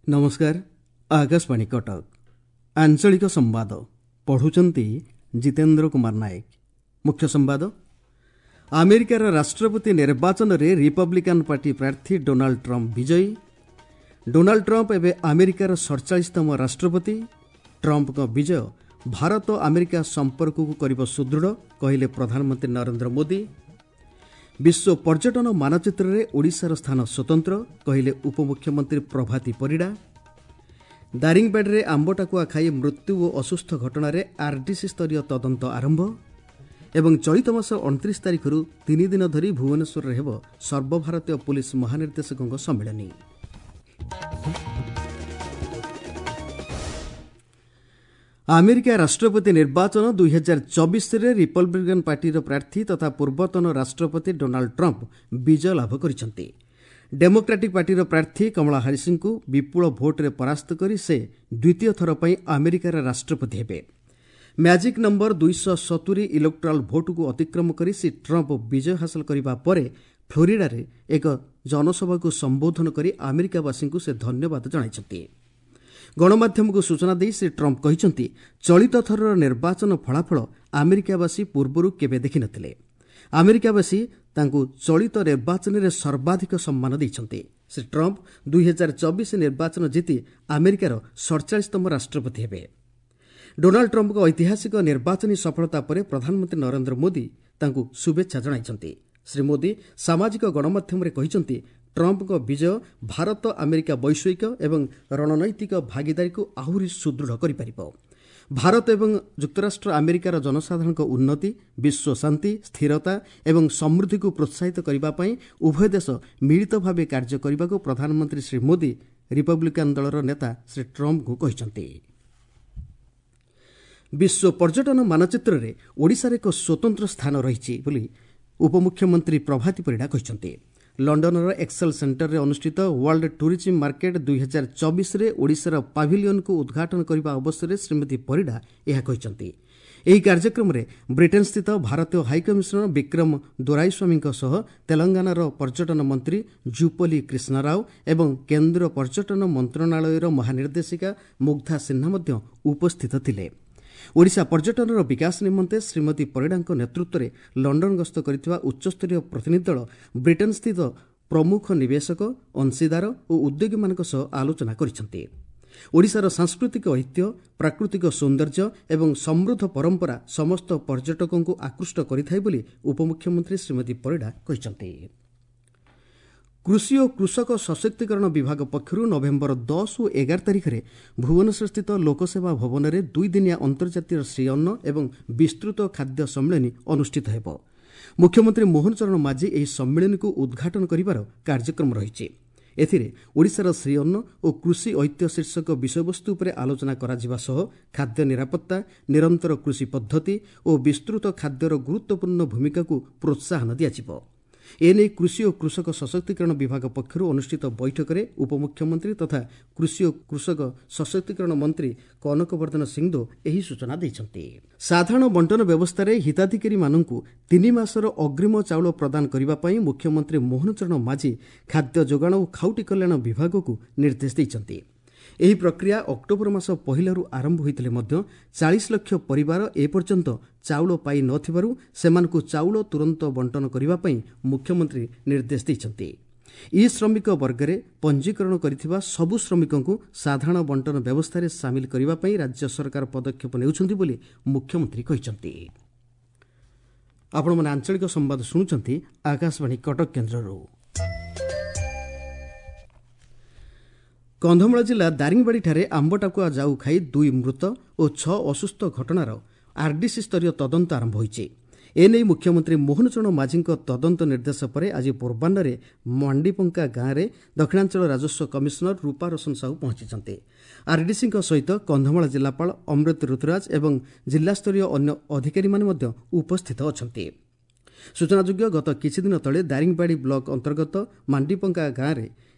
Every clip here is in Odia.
ନମସ୍କାର, ଆକାଶବାଣୀ କଟକ। ଆଞ୍ଚଳିକ ସମ୍ବାଦ ପଢ଼ୁଛନ୍ତି ଜିତେନ୍ଦ୍ର କୁମାର ନାୟକ। ମୁଖ୍ୟ ସମ୍ବାଦ। ଆମେରିକାର ରାଷ୍ଟ୍ରପତି ନିର୍ବାଚନରେ ରିପବ୍ଲିକାନ୍ ପାର୍ଟି ପ୍ରାର୍ଥୀ ଡୋନାଲ୍ଡ ଟ୍ରମ୍ପ ବିଜୟୀ। ଡୋନାଲ୍ଡ ଟ୍ରମ୍ପ ଏବେ ଆମେରିକାର 47ତମ ରାଷ୍ଟ୍ରପତି। ଟ୍ରମ୍ପଙ୍କ ବିଜୟ ଭାରତ ଆମେରିକା ସମ୍ପର୍କକୁ କରିବ ସୁଦୃଢ଼, କହିଲେ ପ୍ରଧାନମନ୍ତ୍ରୀ ନରେନ୍ଦ୍ର ମୋଦି। ବିଶ୍ୱ ପର୍ଯ୍ୟଟନ ମାନଚିତ୍ରରେ ଓଡ଼ିଶାର ସ୍ଥାନ ସ୍ୱତନ୍ତ୍ର, କହିଲେ ଉପମୁଖ୍ୟମନ୍ତ୍ରୀ ପ୍ରଭାତୀ ପରିଡ଼ା। ଦାରିଙ୍ଗବାଡ଼ିରେ ଆମ୍ବଟାକୁଆ ଖାଇ ମୃତ୍ୟୁ ଓ ଅସୁସ୍ଥ ଘଟଣାରେ ଆର୍ଡିସି ସ୍ତରୀୟ ତଦନ୍ତ ଆରମ୍ଭ। ଏବଂ ଚଳିତ ମାସ 29 ତାରିଖରୁ 3 ଦିନ ଧରି ଭୁବନେଶ୍ୱରରେ ହେବ ସର୍ବଭାରତୀୟ ପୁଲିସ୍ ମହାନିର୍ଦ୍ଦେଶକଙ୍କ ସମ୍ମିଳନୀ। ଆମେରିକା ରାଷ୍ଟ୍ରପତି ନିର୍ବାଚନ 2024ରେ ରିପବ୍ଲିକାନ୍ ପାର୍ଟିର ପ୍ରାର୍ଥୀ ତଥା ପୂର୍ବତନ ରାଷ୍ଟ୍ରପତି ଡୋନାଲ୍ଡ ଟ୍ରମ୍ପ ବିଜୟ ଲାଭ କରିଛନ୍ତି। ଡେମୋକ୍ରାଟିକ୍ ପାର୍ଟିର ପ୍ରାର୍ଥୀ କମଳା ହାରିସ୍ଙ୍କୁ ବିପୁଳ ଭୋଟ୍ରେ ପରାସ୍ତ କରି ସେ ଦ୍ୱିତୀୟ ଥର ପାଇଁ ଆମେରିକାର ରାଷ୍ଟ୍ରପତି ହେବେ। ମ୍ୟାଜିକ୍ ନମ୍ବର 270 ଇଲେକ୍ଟ୍ରାଲ୍ ଭୋଟ୍କୁ ଅତିକ୍ରମ କରି ଶ୍ରୀ ଟ୍ରମ୍ପ ବିଜୟ ହାସଲ କରିବା ପରେ ଫ୍ଲୋରିଡାରେ ଏକ ଜନସଭାକୁ ସମ୍ବୋଧନ କରି ଆମେରିକାବାସୀଙ୍କୁ ସେ ଧନ୍ୟବାଦ ଜଣାଇଛନ୍ତି। ଗଣମାଧ୍ୟମକୁ ସୂଚନା ଦେଇ ଶ୍ରୀ ଟ୍ରମ୍ପ କହିଛନ୍ତି, ଚଳିତ ଥରର ନିର୍ବାଚନ ଫଳାଫଳ ଆମେରିକାବାସୀ ପୂର୍ବରୁ କେବେ ଦେଖିନଥିଲେ। ଆମେରିକାବାସୀ ତାଙ୍କୁ ଚଳିତ ନିର୍ବାଚନରେ ସର୍ବାଧିକ ସମ୍ମାନ ଦେଇଛନ୍ତି। ଶ୍ରୀ ଟ୍ରମ୍ପ 2024 ନିର୍ବାଚନ ଜିତି ଆମେରିକାର 47ତମ ରାଷ୍ଟ୍ରପତି ହେବେ। ଡୋନାଲ୍ଡ ଟ୍ରମ୍ପଙ୍କ ଐତିହାସିକ ନିର୍ବାଚନୀ ସଫଳତା ପରେ ପ୍ରଧାନମନ୍ତ୍ରୀ ନରେନ୍ଦ୍ର ମୋଦି ତାଙ୍କୁ ଶୁଭେଚ୍ଛା ଜଣାଇଛନ୍ତି। ଶ୍ରୀ ମୋଦି ସାମାଜିକ ଗଣମାଧ୍ୟମରେ କହିଛନ୍ତି, ଟ୍ରମ୍ପଙ୍କ ବିଜୟ ଭାରତ ଆମେରିକା ବୈଷୟିକ ଏବଂ ରଣନୈତିକ ଭାଗିଦାରୀକୁ ଆହୁରି ସୁଦୃଢ଼ କରିପାରିବ। ଭାରତ ଏବଂ ଯୁକ୍ତରାଷ୍ଟ୍ର ଆମେରିକାର ଜନସାଧାରଣଙ୍କ ଉନ୍ନତି, ବିଶ୍ୱ ଶାନ୍ତି, ସ୍ଥିରତା ଏବଂ ସମୃଦ୍ଧିକୁ ପ୍ରୋତ୍ସାହିତ କରିବା ପାଇଁ ଉଭୟ ଦେଶ ମିଳିତ ଭାବେ କାର୍ଯ୍ୟ କରିବାକୁ ପ୍ରଧାନମନ୍ତ୍ରୀ ଶ୍ରୀ ମୋଦି ରିପବ୍ଲିକାନ୍ ଦଳର ନେତା ଶ୍ରୀ ଟ୍ରମ୍ପଙ୍କୁ କହିଛନ୍ତି। ବିଶ୍ୱ ପର୍ଯ୍ୟଟନ ମାନଚିତ୍ରରେ ଓଡ଼ିଶାର ଏକ ସ୍ୱତନ୍ତ୍ର ସ୍ଥାନ ରହିଛି ବୋଲି ଉପମୁଖ୍ୟମନ୍ତ୍ରୀ ପ୍ରଭାତୀ ପରିଡ଼ା କହିଛନ୍ତି। ଲଣ୍ଡନର ଏକ୍ସେଲ୍ ସେଣ୍ଟରରେ ଅନୁଷ୍ଠିତ ୱାର୍ଲଡ ଟୁରିଜିମ୍ ମାର୍କେଟ 2024ରେ ଓଡ଼ିଶାର ପାଭିଲିୟନକୁ ଉଦ୍ଘାଟନ କରିବା ଅବସରରେ ଶ୍ରୀମତୀ ପରିଡ଼ା ଏହା କହିଛନ୍ତି। ଏହି କାର୍ଯ୍ୟକ୍ରମରେ ବ୍ରିଟେନ୍ସ୍ଥିତ ଭାରତୀୟ ହାଇକମିଶନର ବିକ୍ରମ ଦୋରାଇସ୍ୱାମୀଙ୍କ ସହ ତେଲଙ୍ଗାନାର ପର୍ଯ୍ୟଟନ ମନ୍ତ୍ରୀ ଜୁପଲି କ୍ରିଷ୍ଣାରାଓ ଏବଂ କେନ୍ଦ୍ର ପର୍ଯ୍ୟଟନ ମନ୍ତ୍ରଣାଳୟର ମହାନିର୍ଦ୍ଦେଶିକା ମୁଗ୍ଧା ସିହ୍ନା ମଧ୍ୟ ଉପସ୍ଥିତ ଥିଲେ। ଓଡ଼ିଶା ପର୍ଯ୍ୟଟନର ବିକାଶ ନିମନ୍ତେ ଶ୍ରୀମତୀ ପରିଡ଼ାଙ୍କ ନେତୃତ୍ୱରେ ଲଣ୍ଡନ ଗସ୍ତ କରିଥିବା ଉଚ୍ଚସ୍ତରୀୟ ପ୍ରତିନିଧି ଦଳ ବ୍ରିଟେନ୍ସ୍ଥିତ ପ୍ରମୁଖ ନିବେଶକ, ଅଂଶୀଦାର ଓ ଉଦ୍ୟୋଗୀମାନଙ୍କ ସହ ଆଲୋଚନା କରିଛନ୍ତି। ଓଡ଼ିଶାର ସାଂସ୍କୃତିକ ଐତିହ୍ୟ, ପ୍ରାକୃତିକ ସୌନ୍ଦର୍ଯ୍ୟ ଏବଂ ସମୃଦ୍ଧ ପରମ୍ପରା ସମସ୍ତ ପର୍ଯ୍ୟଟକଙ୍କୁ ଆକୃଷ୍ଟ କରିଥାଏ ବୋଲି ଉପମୁଖ୍ୟମନ୍ତ୍ରୀ ଶ୍ରୀମତୀ ପରିଡ଼ା କହିଛନ୍ତି। କୃଷି ଓ କୃଷକ ସଶକ୍ତିକରଣ ବିଭାଗ ପକ୍ଷରୁ ନଭେମ୍ବର 10 ଓ 11 ତାରିଖରେ ଭୁବନେଶ୍ୱରସ୍ଥିତ ଲୋକସେବା ଭବନରେ ଦୁଇଦିନିଆ ଅନ୍ତର୍ଜାତୀୟ ଶ୍ରୀଅନ୍ନ ଏବଂ ବିସ୍ତୃତ ଖାଦ୍ୟ ସମ୍ମିଳନୀ ଅନୁଷ୍ଠିତ ହେବ। ମୁଖ୍ୟମନ୍ତ୍ରୀ ମୋହନ ଚରଣ ମାଝୀ ଏହି ସମ୍ମିଳନୀକୁ ଉଦ୍ଘାଟନ କରିବାର କାର୍ଯ୍ୟକ୍ରମ ରହିଛି। ଏଥିରେ ଓଡ଼ିଶାର ଶ୍ରୀଅନ୍ନ ଓ କୃଷି ଐତିହ୍ୟ ଶୀର୍ଷକ ବିଷୟବସ୍ତୁ ଉପରେ ଆଲୋଚନା କରାଯିବା ସହ ଖାଦ୍ୟ ନିରାପତ୍ତା, ନିରନ୍ତର କୃଷି ପଦ୍ଧତି ଓ ବିସ୍ତୃତ ଖାଦ୍ୟର ଗୁରୁତ୍ୱପୂର୍ଣ୍ଣ ଭୂମିକାକୁ ପ୍ରୋତ୍ସାହନ ଦିଆଯିବ। ଏନେଇ କୃଷି ଓ କୃଷକ ସଶକ୍ତିକରଣ ବିଭାଗ ପକ୍ଷରୁ ଅନୁଷ୍ଠିତ ବୈଠକରେ ଉପମୁଖ୍ୟମନ୍ତ୍ରୀ ତଥା କୃଷି ଓ କୃଷକ ସଶକ୍ତିକରଣ ମନ୍ତ୍ରୀ କନକବର୍ଦ୍ଧନ ସିଂଦେଓ ଏହି ସୂଚନା ଦେଇଛନ୍ତି। ସାଧାରଣ ବଣ୍ଟନ ବ୍ୟବସ୍ଥାରେ ହିତାଧିକାରୀମାନଙ୍କୁ 3 ମାସର ଅଗ୍ରିମ ଚାଉଳ ପ୍ରଦାନ କରିବା ପାଇଁ ମୁଖ୍ୟମନ୍ତ୍ରୀ ମୋହନ ଚରଣ ମାଝୀ ଖାଦ୍ୟ ଯୋଗାଣ ଓ ଖାଉଟି କଲ୍ୟାଣ ବିଭାଗକୁ ନିର୍ଦ୍ଦେଶ ଦେଇଛନ୍ତି। ଏହି ପ୍ରକ୍ରିୟା ଅକ୍ଟୋବର ମାସ 1ରୁ ଆରମ୍ଭ ହୋଇଥିଲେ ମଧ୍ୟ 40 ଲକ୍ଷ ପରିବାର ଏପର୍ଯ୍ୟନ୍ତ ଚାଉଳ ପାଇ ନ ଥିବାରୁ ସେମାନଙ୍କୁ ଚାଉଳ ତୁରନ୍ତ ବଣ୍ଟନ କରିବା ପାଇଁ ମୁଖ୍ୟମନ୍ତ୍ରୀ ନିର୍ଦ୍ଦେଶ ଦେଇଛନ୍ତି। ଇ ଶ୍ରମିକ ବର୍ଗରେ ପଞ୍ଜୀକରଣ କରିଥିବା ସବୁ ଶ୍ରମିକଙ୍କୁ ସାଧାରଣ ବଣ୍ଟନ ବ୍ୟବସ୍ଥାରେ ସାମିଲ କରିବା ପାଇଁ ରାଜ୍ୟ ସରକାର ପଦକ୍ଷେପ ନେଉଛନ୍ତି ବୋଲି ମୁଖ୍ୟମନ୍ତ୍ରୀ କହିଛନ୍ତି। ଆପଣମାନେ ଆଞ୍ଚଳିକ ସମ୍ବାଦ ଶୁଣୁଛନ୍ତି ଆକାଶବାଣୀ କଟକ କେନ୍ଦ୍ରରୁ। କନ୍ଧମାଳ ଜିଲ୍ଲା ଦାରିଙ୍ଗବାଡ଼ିଠାରେ ଆମ୍ବଟାକୁଆ ଜାଉ ଖାଇ 2 ମୃତ ଓ 6 ଅସୁସ୍ଥ ଘଟଣାର ଆର୍ଡିସି ସ୍ତରୀୟ ତଦନ୍ତ ଆରମ୍ଭ ହୋଇଛି। ଏନେଇ ମୁଖ୍ୟମନ୍ତ୍ରୀ ମୋହନ ଚରଣ ମାଝୀଙ୍କ ତଦନ୍ତ ନିର୍ଦ୍ଦେଶ ପରେ ଆଜି ପୂର୍ବାହ୍ନରେ ମାଣ୍ଡିପଙ୍କା ଗାଁରେ ଦକ୍ଷିଣାଞ୍ଚଳ ରାଜସ୍ୱ କମିଶନର ରୂପା ରୋଶନ ସାହୁ ପହଞ୍ଚିଛନ୍ତି। ଆର୍ଡିସିଙ୍କ ସହିତ କନ୍ଧମାଳ ଜିଲ୍ଲାପାଳ ଅମୃତ ଋତୁରାଜ ଏବଂ ଜିଲ୍ଲାସ୍ତରୀୟ ଅନ୍ୟ ଅଧିକାରୀମାନେ ମଧ୍ୟ ଉପସ୍ଥିତ ଅଛନ୍ତି। ସୂଚନାଯୋଗ୍ୟ, ଗତ କିଛିଦିନ ତଳେ ଦାରିଙ୍ଗବାଡ଼ି ବ୍ଲକ ଅନ୍ତର୍ଗତ ମାଣ୍ଡିପଙ୍କା ଗାଁରେ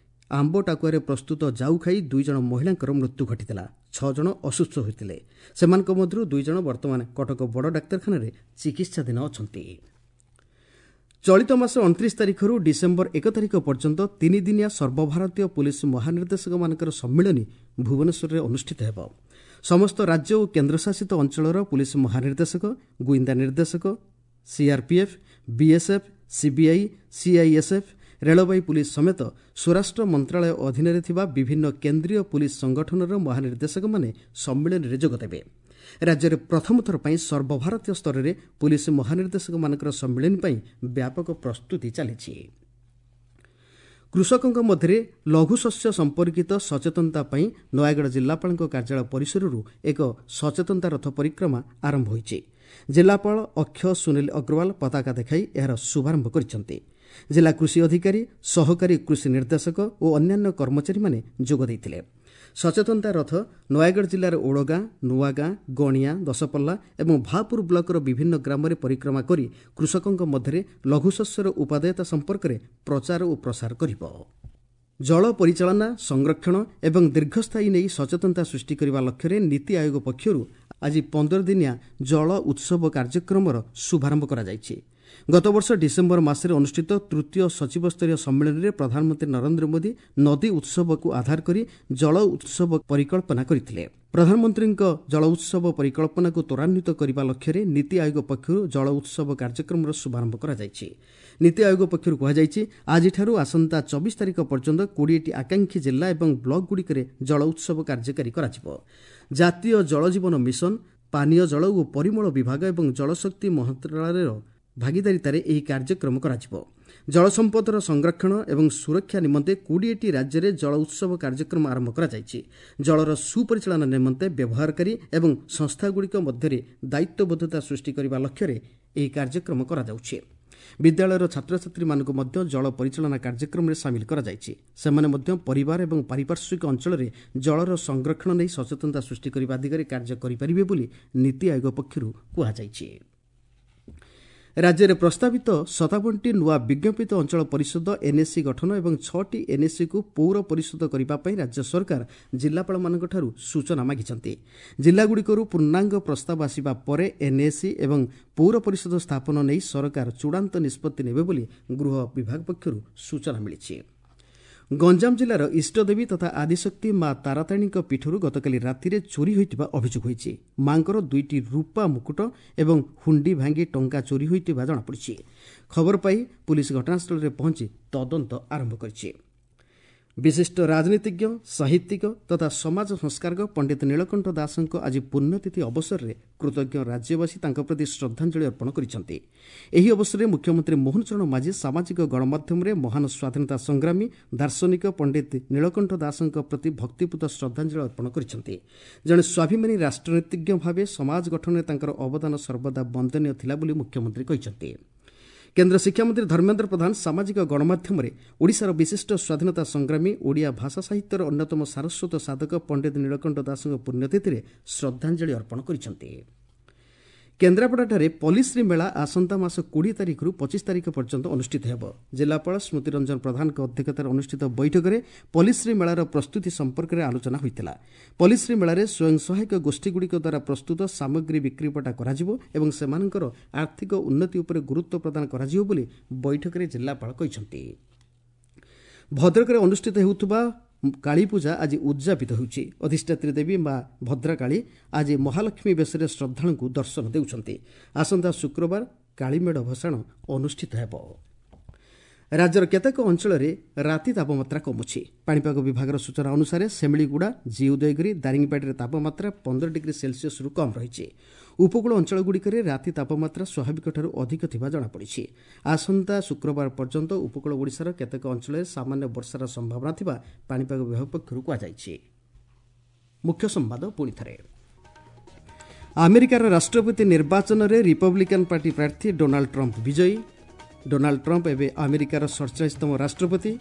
ଆମ୍ବ ଟାକୁଆରେ ପ୍ରସ୍ତୁତ ଜାଉ ଖାଇ 2 ଜଣ ମହିଳାଙ୍କର ମୃତ୍ୟୁ ଘଟିଥିଲା। 6 ଜଣ ଅସୁସ୍ଥ ହୋଇଥିଲେ। ସେମାନଙ୍କ ମଧ୍ୟରୁ 2 ଜଣ ବର୍ତ୍ତମାନ କଟକ ବଡ଼ ଡାକ୍ତରଖାନାରେ ଚିକିତ୍ସାଧୀନ ଅଛନ୍ତି। ଚଳିତ ମାସ 29 ତାରିଖରୁ ଡିସେମ୍ବର 1 ତାରିଖ ପର୍ଯ୍ୟନ୍ତ ତିନିଦିନିଆ ସର୍ବଭାରତୀୟ ପୁଲିସ ମହାନିର୍ଦ୍ଦେଶକମାନଙ୍କର ସମ୍ମିଳନୀ ଭୁବନେଶ୍ୱରରେ ଅନୁଷ୍ଠିତ ହେବ। ସମସ୍ତ ରାଜ୍ୟ ଓ କେନ୍ଦ୍ରଶାସିତ ଅଞ୍ଚଳର ପୁଲିସ ମହାନିର୍ଦ୍ଦେଶକ, ଗୁଇନ୍ଦା ନିର୍ଦ୍ଦେଶକ, ସିଆର୍ପିଏଫ୍, ବିଏସ୍ଏଫ୍, ସିବିଆଇ, ସିଆଇଏସ୍ଏଫ୍, ରେଳବାଇ ପୁଲିସ ସମେତ ସ୍ୱରାଷ୍ଟ୍ର ମନ୍ତ୍ରଣାଳୟ ଅଧୀନରେ ଥିବା ବିଭିନ୍ନ କେନ୍ଦ୍ରୀୟ ପୁଲିସ ସଂଗଠନର ମହାନିର୍ଦ୍ଦେଶକମାନେ ସମ୍ମିଳନୀରେ ଯୋଗଦେବେ। ରାଜ୍ୟରେ ପ୍ରଥମ ଥର ପାଇଁ ସର୍ବଭାରତୀୟ ସ୍ତରରେ ପୁଲିସ ମହାନିର୍ଦ୍ଦେଶକମାନଙ୍କର ସମ୍ମିଳନୀ ପାଇଁ ବ୍ୟାପକ ପ୍ରସ୍ତୁତି ଚାଲିଛି। କୃଷକଙ୍କ ମଧ୍ୟରେ ଲଘୁ ଶସ୍ୟ ସମ୍ପର୍କିତ ସଚେତନତା ପାଇଁ ନୟାଗଡ଼ ଜିଲ୍ଲାପାଳଙ୍କ କାର୍ଯ୍ୟାଳୟ ପରିସରରୁ ଏକ ସଚେତନତା ରଥ ପରିକ୍ରମା ଆରମ୍ଭ ହୋଇଛି। ଜିଲ୍ଲାପାଳ ଅକ୍ଷୟ ସୁନୀଲ ଅଗ୍ରୱାଲ ପତାକା ଦେଖାଇ ଏହାର ଶୁଭାରମ୍ଭ କରିଛନ୍ତି। ଜିଲ୍ଲା କୃଷି ଅଧିକାରୀ, ସହକାରୀ କୃଷି ନିର୍ଦ୍ଦେଶକ ଓ ଅନ୍ୟାନ୍ୟ କର୍ମଚାରୀମାନେ ଯୋଗ ଦେଇଥିଲେ। ସଚେତନତା ରଥ ନୟାଗଡ଼ ଜିଲ୍ଲାର ଓଡ଼ଗାଁ, ନୂଆଗାଁ, ଗଣିଆ, ଦଶପଲ୍ଲା ଏବଂ ଭାପୁର ବ୍ଲକର ବିଭିନ୍ନ ଗ୍ରାମରେ ପରିକ୍ରମା କରି କୃଷକଙ୍କ ମଧ୍ୟରେ ଲଘୁଶସ୍ୟର ଉପାଦେୟତା ସମ୍ପର୍କରେ ପ୍ରଚାର ଓ ପ୍ରସାର କରିବ। ଜଳ ପରିଚାଳନା, ସଂରକ୍ଷଣ ଏବଂ ଦୀର୍ଘସ୍ଥାୟୀ ନେଇ ସଚେତନତା ସୃଷ୍ଟି କରିବା ଲକ୍ଷ୍ୟରେ ନୀତି ଆୟୋଗ ପକ୍ଷରୁ ଆଜି 15 ଦିନିଆ ଜଳ ଉତ୍ସବ କାର୍ଯ୍ୟକ୍ରମର ଶୁଭାରମ୍ଭ କରାଯାଇଛି। ଗତବର୍ଷ ଡିସେମ୍ବର ମାସରେ ଅନୁଷ୍ଠିତ ତୃତୀୟ ସଚିବସ୍ତରୀୟ ସମ୍ମିଳନୀରେ ପ୍ରଧାନମନ୍ତ୍ରୀ ନରେନ୍ଦ୍ର ମୋଦି ନଦୀ ଉତ୍ସବକୁ ଆଧାର କରି ଜଳ ଉତ୍ସବ ପରିକଳ୍ପନା କରିଥିଲେ। ପ୍ରଧାନମନ୍ତ୍ରୀଙ୍କ ଜଳ ଉତ୍ସବ ପରିକଳ୍ପନାକୁ ତ୍ୱରାନ୍ୱିତ କରିବା ଲକ୍ଷ୍ୟରେ ନୀତି ଆୟୋଗ ପକ୍ଷରୁ ଜଳ ଉତ୍ସବ କାର୍ଯ୍ୟକ୍ରମର ଶୁଭାରମ୍ଭ କରାଯାଇଛି। ନୀତି ଆୟୋଗ ପକ୍ଷରୁ କୁହାଯାଇଛି, ଆଜିଠାରୁ ଆସନ୍ତା 24 ତାରିଖ ପର୍ଯ୍ୟନ୍ତ 20ଟି ଆକାଂକ୍ଷୀ ଜିଲ୍ଲା ଏବଂ ବ୍ଲକଗୁଡ଼ିକରେ ଜଳ ଉତ୍ସବ କାର୍ଯ୍ୟକାରୀ କରାଯିବ। ଜାତୀୟ ଜଳ ଜୀବନ ମିଶନ, ପାନୀୟ ଜଳ ଓ ପରିମଳ ବିଭାଗ ଏବଂ ଜଳଶକ୍ତି ମନ୍ତ୍ରଣାଳୟର ଭାଗିଦାରିତାରେ ଏହି କାର୍ଯ୍ୟକ୍ରମ କରାଯିବ। ଜଳସମ୍ପଦର ସଂରକ୍ଷଣ ଏବଂ ସୁରକ୍ଷା ନିମନ୍ତେ 20ଟି ରାଜ୍ୟରେ ଜଳ ଉତ୍ସବ କାର୍ଯ୍ୟକ୍ରମ ଆରମ୍ଭ କରାଯାଇଛି। ଜଳର ସୁପରିଚାଳନା ନିମନ୍ତେ ବ୍ୟବହାରକାରୀ ଏବଂ ସଂସ୍ଥାଗୁଡ଼ିକ ମଧ୍ୟରେ ଦାୟିତ୍ୱବୋଧତା ସୃଷ୍ଟି କରିବା ଲକ୍ଷ୍ୟରେ ଏହି କାର୍ଯ୍ୟକ୍ରମ କରାଯାଉଛି। ବିଦ୍ୟାଳୟର ଛାତ୍ରଛାତ୍ରୀମାନଙ୍କୁ ମଧ୍ୟ ଜଳ ପରିଚାଳନା କାର୍ଯ୍ୟକ୍ରମରେ ସାମିଲ କରାଯାଇଛି। ସେମାନେ ମଧ୍ୟ ପରିବାର ଏବଂ ପାରିପାର୍ଶ୍ୱିକ ଅଞ୍ଚଳରେ ଜଳର ସଂରକ୍ଷଣ ନେଇ ସଚେତନତା ସୃଷ୍ଟି କରିବା ଦିଗରେ କାର୍ଯ୍ୟ କରିପାରିବେ ବୋଲି ନୀତି ଆୟୋଗ ପକ୍ଷରୁ କୁହାଯାଇଛି। ରାଜ୍ୟରେ ପ୍ରସ୍ତାବିତ 57ଟି ନୂଆ ବିଜ୍ଞାପିତ ଅଞ୍ଚଳ ପରିଷଦ ଏନ୍ଏସି ଗଠନ ଏବଂ 6ଟି ଏନ୍ଏସିକୁ ପୌର ପରିଷଦ କରିବା ପାଇଁ ରାଜ୍ୟ ସରକାର ଜିଲ୍ଲାପାଳମାନଙ୍କଠାରୁ ସୂଚନା ମାଗିଛନ୍ତି। ଜିଲ୍ଲାଗୁଡ଼ିକରୁ ପୂର୍ଣ୍ଣାଙ୍ଗ ପ୍ରସ୍ତାବ ଆସିବା ପରେ ଏନ୍ଏସି ଏବଂ ପୌର ପରିଷଦ ସ୍ଥାପନ ନେଇ ସରକାର ଚୂଡ଼ାନ୍ତ ନିଷ୍ପତ୍ତି ନେବେ ବୋଲି ଗୃହ ବିଭାଗ ପକ୍ଷରୁ ସୂଚନା ମିଳିଛି। ଗଞ୍ଜାମ ଜିଲ୍ଲାର ଇଷ୍ଟଦେବୀ ତଥା ଆଦିଶକ୍ତି ମା ତାରାତାରିଣୀଙ୍କ ପୀଠରୁ ଗତକାଲି ରାତିରେ ଚୋରି ହୋଇଥିବା ଅଭିଯୋଗ ହୋଇଛି। ମାଙ୍କର 2ଟି ରୂପା ମୁକୁଟ ଏବଂ ହୁଣ୍ଡି ଭାଙ୍ଗି ଟଙ୍କା ଚୋରି ହୋଇଥିବା ଜଣାପଡ଼ିଛି। ଖବର ପାଇ ପୁଲିସ ଘଟଣାସ୍ଥଳରେ ପହଞ୍ଚି ତଦନ୍ତ ଆରମ୍ଭ କରିଛି। ବିଶିଷ୍ଟ ରାଜନୀତିଜ୍ଞ, ସାହିତ୍ୟିକ ତଥା ସମାଜ ସଂସ୍କାରକ ପଣ୍ଡିତ ନୀଳକଣ୍ଠ ଦାସଙ୍କ ଆଜି ପୁଣ୍ୟତିଥି ଅବସରରେ କୃତଜ୍ଞ ରାଜ୍ୟବାସୀ ତାଙ୍କ ପ୍ରତି ଶ୍ରଦ୍ଧାଞ୍ଜଳି ଅର୍ପଣ କରିଛନ୍ତି। ଏହି ଅବସରରେ ମୁଖ୍ୟମନ୍ତ୍ରୀ ମୋହନ ଚରଣ ମାଝୀ ସାମାଜିକ ଗଣମାଧ୍ୟମରେ ମହାନ ସ୍ୱାଧୀନତା ସଂଗ୍ରାମୀ ଦାର୍ଶନିକ ପଣ୍ଡିତ ନୀଳକଣ୍ଠ ଦାସଙ୍କ ପ୍ରତି ଭକ୍ତିପୂତ ଶ୍ରଦ୍ଧାଞ୍ଜଳି ଅର୍ପଣ କରିଛନ୍ତି। ଜଣେ ସ୍ୱାଭିମାନୀ ରାଷ୍ଟ୍ରନୀତିଜ୍ଞ ଭାବେ ସମାଜ ଗଠନରେ ତାଙ୍କର ଅବଦାନ ସର୍ବଦା ବନ୍ଦନୀୟ ଥିଲା ବୋଲି ମୁଖ୍ୟମନ୍ତ୍ରୀ କହିଛନ୍ତି। କେନ୍ଦ୍ର ଶିକ୍ଷାମନ୍ତ୍ରୀ ଧର୍ମେନ୍ଦ୍ର ପ୍ରଧାନ ସାମାଜିକ ଗଣମାଧ୍ୟମରେ ଓଡ଼ିଶାର ବିଶିଷ୍ଟ ସ୍ୱାଧୀନତା ସଂଗ୍ରାମୀ, ଓଡ଼ିଆ ଭାଷା ସାହିତ୍ୟର ଅନ୍ୟତମ ସାରସ୍ୱତ ସାଧକ ପଣ୍ଡିତ ନୀଳକଣ୍ଠ ଦାସଙ୍କ ପୁଣ୍ୟତିଥିରେ ଶ୍ରଦ୍ଧାଞ୍ଜଳି ଅର୍ପଣ କରିଛନ୍ତି। କେନ୍ଦ୍ରାପଡ଼ାଠାରେ ପଲିଶ୍ରୀ ମେଳା ଆସନ୍ତା ମାସ 20 ତାରିଖରୁ 25 ତାରିଖ ପର୍ଯ୍ୟନ୍ତ ଅନୁଷ୍ଠିତ ହେବ। ଜିଲ୍ଲାପାଳ ସ୍ମୃତିରଞ୍ଜନ ପ୍ରଧାନଙ୍କ ଅଧ୍ୟକ୍ଷତାରେ ଅନୁଷ୍ଠିତ ବୈଠକରେ ପଲିଶ୍ରୀ ମେଳାର ପ୍ରସ୍ତୁତି ସମ୍ପର୍କରେ ଆଲୋଚନା ହୋଇଥିଲା। ପଲିଶ୍ରୀ ମେଳାରେ ସ୍ୱୟଂ ସହାୟକ ଗୋଷ୍ଠୀଗୁଡ଼ିକ ଦ୍ୱାରା ପ୍ରସ୍ତୁତ ସାମଗ୍ରୀ ବିକ୍ରିବଟା କରାଯିବ ଏବଂ ସେମାନଙ୍କର ଆର୍ଥିକ ଉନ୍ନତି ଉପରେ ଗୁରୁତ୍ୱ ପ୍ରଦାନ କରାଯିବ ବୋଲି ବୈଠକରେ ଜିଲ୍ଲାପାଳ କହିଛନ୍ତି। ଭଦ୍ରକରେ ଅନୁଷ୍ଠିତ ହେଉଥିବା କାଳୀପୂଜା ଆଜି ଉଦ୍ଯାପିତ ହେଉଛି। ଅଧିଷ୍ଠାତ୍ରୀ ଦେବୀ ମା ଭଦ୍ରକାଳୀ ଆଜି ମହାଲକ୍ଷ୍ମୀ ବେଶରେ ଶ୍ରଦ୍ଧାଳୁଙ୍କୁ ଦର୍ଶନ ଦେଉଛନ୍ତି। ଆସନ୍ତା ଶୁକ୍ରବାର କାଳୀମେଢ଼ ଭସାଣ ଅନୁଷ୍ଠିତ ହେବ। ରାଜ୍ୟର କେତେକ ଅଞ୍ଚଳରେ ରାତି ତାପମାତ୍ରା କମୁଛି। ପାଣିପାଗ ବିଭାଗର ସୂଚନା ଅନୁସାରେ ସେମିଳିଗୁଡ଼ା, ଜି ଉଦୟଗିରି, ଦାରିଙ୍ଗବାଡ଼ିରେ ତାପମାତ୍ରା 15 ଡିଗ୍ରୀ ସେଲସିୟସରୁ କମ୍ ରହିଛି। ଉପକୂଳ ଅଞ୍ଚଳଗୁଡ଼ିକରେ ରାତି ତାପମାତ୍ରା ସ୍ୱାଭାବିକଠାରୁ ଅଧିକ ଥିବା ଜଣାପଡ଼ିଛି। ଆସନ୍ତା ଶୁକ୍ରବାର ପର୍ଯ୍ୟନ୍ତ ଉପକୂଳ ଓଡ଼ିଶାର କେତେକ ଅଞ୍ଚଳରେ ସାମାନ୍ୟ ବର୍ଷାର ସମ୍ଭାବନା ଥିବା ପାଣିପାଗ ବିଭାଗ ପକ୍ଷରୁ କୁହାଯାଇଛି। ମୁଖ୍ୟ ସମ୍ବାଦ ପୁଣି ଥରେ। ଆମେରିକାର ରାଷ୍ଟ୍ରପତି ନିର୍ବାଚନରେ ରିପବ୍ଲିକାନ୍ ପାର୍ଟି ପ୍ରାର୍ଥୀ ଡୋନାଲ୍ଡ ଟ୍ରମ୍ପ ବିଜୟୀ। ଡୋନାଲ୍ଡ ଟ୍ରମ୍ପ ଏବେ ଆମେରିକାର 47ତମ ରାଷ୍ଟ୍ରପତି।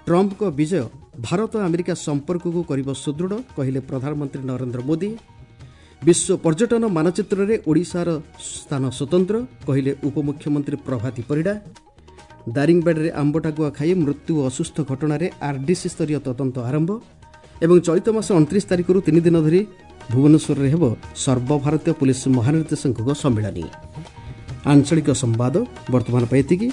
ଟ୍ରମ୍ପଙ୍କ ବିଜୟ ଭାରତ ଆମେରିକା ସମ୍ପର୍କକୁ କରିବ ସୁଦୃଢ଼, କହିଲେ ପ୍ରଧାନମନ୍ତ୍ରୀ ନରେନ୍ଦ୍ର ମୋଦି। ବିଶ୍ୱ ପର୍ଯ୍ୟଟନ ମାନଚିତ୍ରରେ ଓଡ଼ିଶାର ସ୍ଥାନ ସ୍ୱତନ୍ତ୍ର, କହିଲେ ଉପମୁଖ୍ୟମନ୍ତ୍ରୀ ପ୍ରଭାତୀ ପରିଡ଼ା। ଦାରିଙ୍ଗବାଡ଼ିରେ ଆମ୍ବଟାକୁଆ ଖାଇ ମୃତ୍ୟୁ ଓ ଅସୁସ୍ଥ ଘଟଣାରେ ଆର୍ଡିସି ସ୍ତରୀୟ ତଦନ୍ତ ଆରମ୍ଭ। ଏବଂ ଚଳିତ ମାସ 29 ତାରିଖରୁ 3 ଦିନ ଧରି ଭୁବନେଶ୍ୱରରେ ହେବ ସର୍ବଭାରତୀୟ ପୁଲିସ ମହାନିର୍ଦ୍ଦେଶକଙ୍କ ସମ୍ମିଳନୀ। ଆଞ୍ଚଳିକ ସମ୍ବାଦ ବର୍ତ୍ତମାନ ପାଇଁ ଏତିକି।